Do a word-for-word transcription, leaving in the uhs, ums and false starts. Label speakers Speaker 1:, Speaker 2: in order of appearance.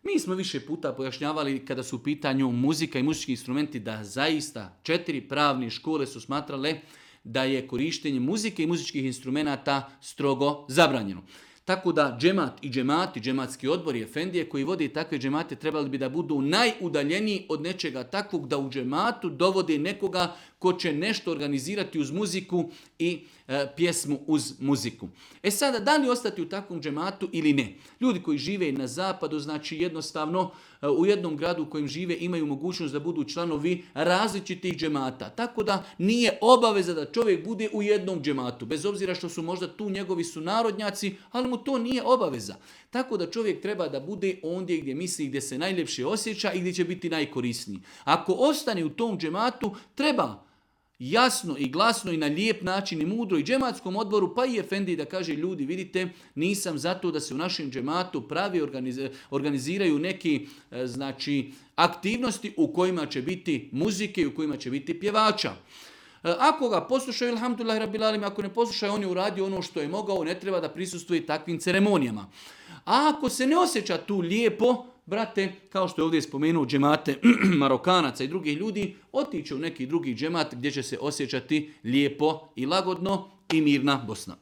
Speaker 1: Mi smo više puta pojašnjavali kada su u pitanju muzika i muzički instrumenti da zaista četiri pravne škole su smatrale da je korištenje muzike i muzičkih instrumenata strogo zabranjeno. Tako da džemat i džemati, džematski odbor i efendije koji vode takve džemate trebali bi da budu najudaljeniji od nečega takvog da u džematu dovode nekoga ko će nešto organizirati uz muziku i e, pjesmu uz muziku. E sada, da li ostati u takvom džematu ili ne? Ljudi koji žive na zapadu, znači jednostavno e, u jednom gradu u kojem žive imaju mogućnost da budu članovi različitih džemata. Tako da nije obaveza da čovjek bude u jednom džematu, bez obzira što su možda tu njegovi sunarodnjaci, ali mu to nije obaveza. Tako da čovjek treba da bude ondje gdje misli, gdje se najljepše osjeća i gdje će biti najkorisniji. Ako ostane u tom džematu, treba jasno i glasno i na lijep način i mudro i džematskom odboru, pa i efendi da kaže ljudi, vidite, nisam zato da se u našem džematu pravi organiz- organiziraju neki e, znači aktivnosti u kojima će biti muzike i u kojima će biti pjevača. Ako ga poslušaju, alhamdulillah rabbil alamin, ako ne poslušaju, on je uradio ono što je mogao, ne treba da prisustvuje takvim ceremonijama. A ako se ne osjeća tu lijepo, brate, kao što je ovdje spomenuo džemate Marokanaca i drugih ljudi, otiće u neki drugi džemat gdje će se osjećati lijepo i lagodno i mirna Bosna.